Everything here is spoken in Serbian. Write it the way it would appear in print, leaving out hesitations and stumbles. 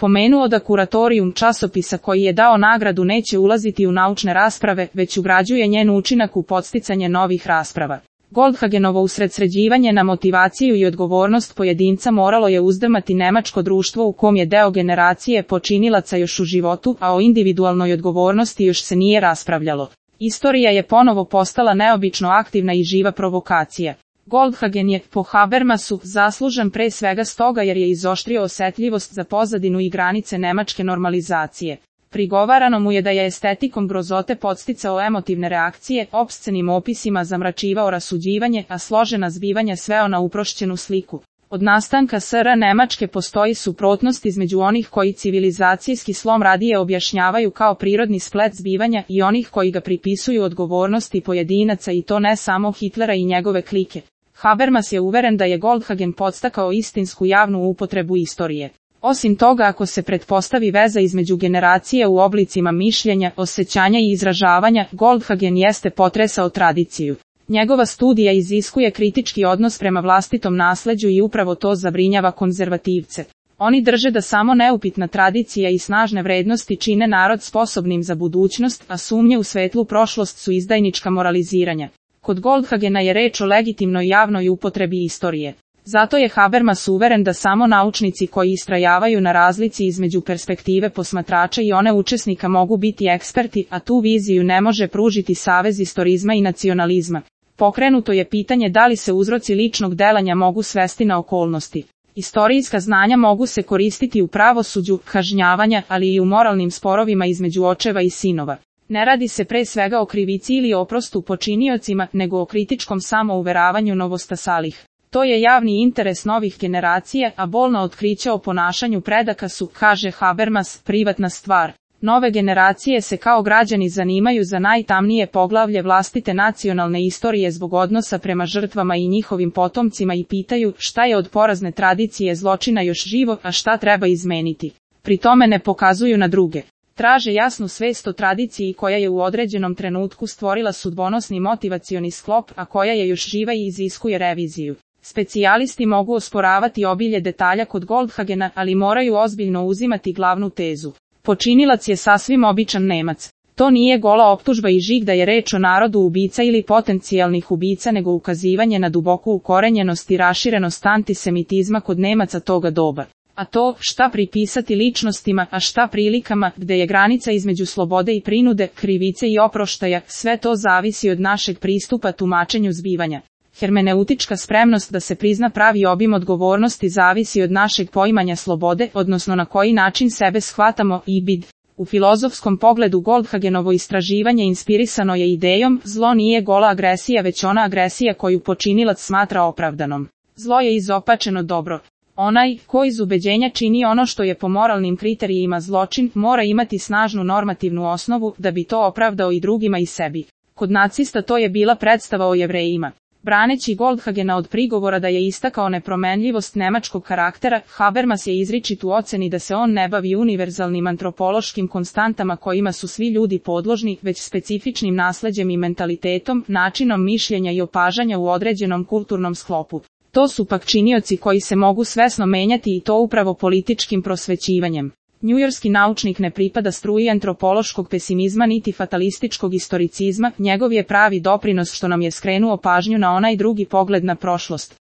pomenuo da kuratorijum časopisa koji je dao nagradu neće ulaziti u naučne rasprave, već ugrađuje njen učinak u podsticanje novih rasprava. Goldhagenovo usredsređivanje na motivaciju i odgovornost pojedinca moralo je uzdrmati nemačko društvo u kom je deo generacije počinilaca još u životu, a o individualnoj odgovornosti još se nije raspravljalo. Istorija je ponovo postala neobično aktivna i živa provokacija. Goldhagen je, po Habermasu, zaslužan pre svega stoga jer je izoštrio osetljivost za pozadinu i granice nemačke normalizacije. Prigovarano mu je da je estetikom grozote podsticao emotivne reakcije, opscenim opisima zamračivao rasuđivanje, a složena zbivanja sveo na uprošćenu sliku. Od nastanka SR Nemačke postoji suprotnost između onih koji civilizacijski slom radije objašnjavaju kao prirodni splet zbivanja i onih koji ga pripisuju odgovornosti pojedinaca i to ne samo Hitlera i njegove klike. Habermas je uveren da je Goldhagen podstakao istinsku javnu upotrebu istorije. Osim toga, ako se pretpostavi veza između generacije u oblicima mišljenja, osjećanja i izražavanja, Goldhagen jeste potresao tradiciju. Njegova studija iziskuje kritički odnos prema vlastitom nasleđu i upravo to zabrinjava konzervativce. Oni drže da samo neupitna tradicija i snažne vrednosti čine narod sposobnim za budućnost, a sumnje u svetlu prošlost su izdajnička moraliziranja. Kod Goldhagena je reč o legitimnoj javnoj upotrebi istorije. Zato je Habermas uveren da samo naučnici koji istrajavaju na razlici između perspektive posmatrača i one učesnika mogu biti eksperti, a tu viziju ne može pružiti savez istorizma i nacionalizma. Pokrenuto je pitanje da li se uzroci ličnog delanja mogu svesti na okolnosti. Istorijska znanja mogu se koristiti u pravosuđu, kažnjavanja, ali i u moralnim sporovima između očeva i sinova. Ne radi se pre svega o krivici ili oprostu počiniocima, nego o kritičkom samouveravanju novostasalih. To je javni interes novih generacija, a bolna otkrića o ponašanju predaka su, kaže Habermas, privatna stvar. Nove generacije se kao građani zanimaju za najtamnije poglavlje vlastite nacionalne istorije zbog odnosa prema žrtvama i njihovim potomcima i pitaju šta je od porazne tradicije zločina još živo, a šta treba izmeniti. Pri tome ne pokazuju na druge. Traže jasnu svest o tradiciji koja je u određenom trenutku stvorila sudbonosni motivacioni sklop, a koja je još živa i iziskuje reviziju. Specijalisti mogu osporavati obilje detalja kod Goldhagena, ali moraju ozbiljno uzimati glavnu tezu. Počinilac je sasvim običan Nemac. To nije gola optužba i žig da je reč o narodu ubica ili potencijalnih ubica, nego ukazivanje na duboku ukorenjenost i raširenost antisemitizma kod Nemaca toga doba. A to, šta pripisati ličnostima, a šta prilikama, gde je granica između slobode i prinude, krivice i oproštaja, sve to zavisi od našeg pristupa tumačenju zbivanja. Hermeneutička spremnost da se prizna pravi obim odgovornosti zavisi od našeg poimanja slobode, odnosno na koji način sebe shvatamo i bid. U filozofskom pogledu Goldhagenovo istraživanje inspirisano je idejom, zlo nije gola agresija već ona agresija koju počinilac smatra opravdanom. Zlo je izopačeno dobro. Onaj, ko iz ubeđenja čini ono što je po moralnim kriterijima zločin, mora imati snažnu normativnu osnovu da bi to opravdao i drugima i sebi. Kod nacista to je bila predstava o Jevrejima. Braneći Goldhagena od prigovora da je istakao nepromenljivost nemačkog karaktera, Habermas je izričit u oceni da se on ne bavi univerzalnim antropološkim konstantama kojima su svi ljudi podložni, već specifičnim nasleđem i mentalitetom, načinom mišljenja i opažanja u određenom kulturnom sklopu. To su pak činioci koji se mogu svesno menjati i to upravo političkim prosvećivanjem. Njujorski naučnik ne pripada struji antropološkog pesimizma niti fatalističkog istoricizma, njegov je pravi doprinos što nam je skrenuo pažnju na onaj drugi pogled na prošlost.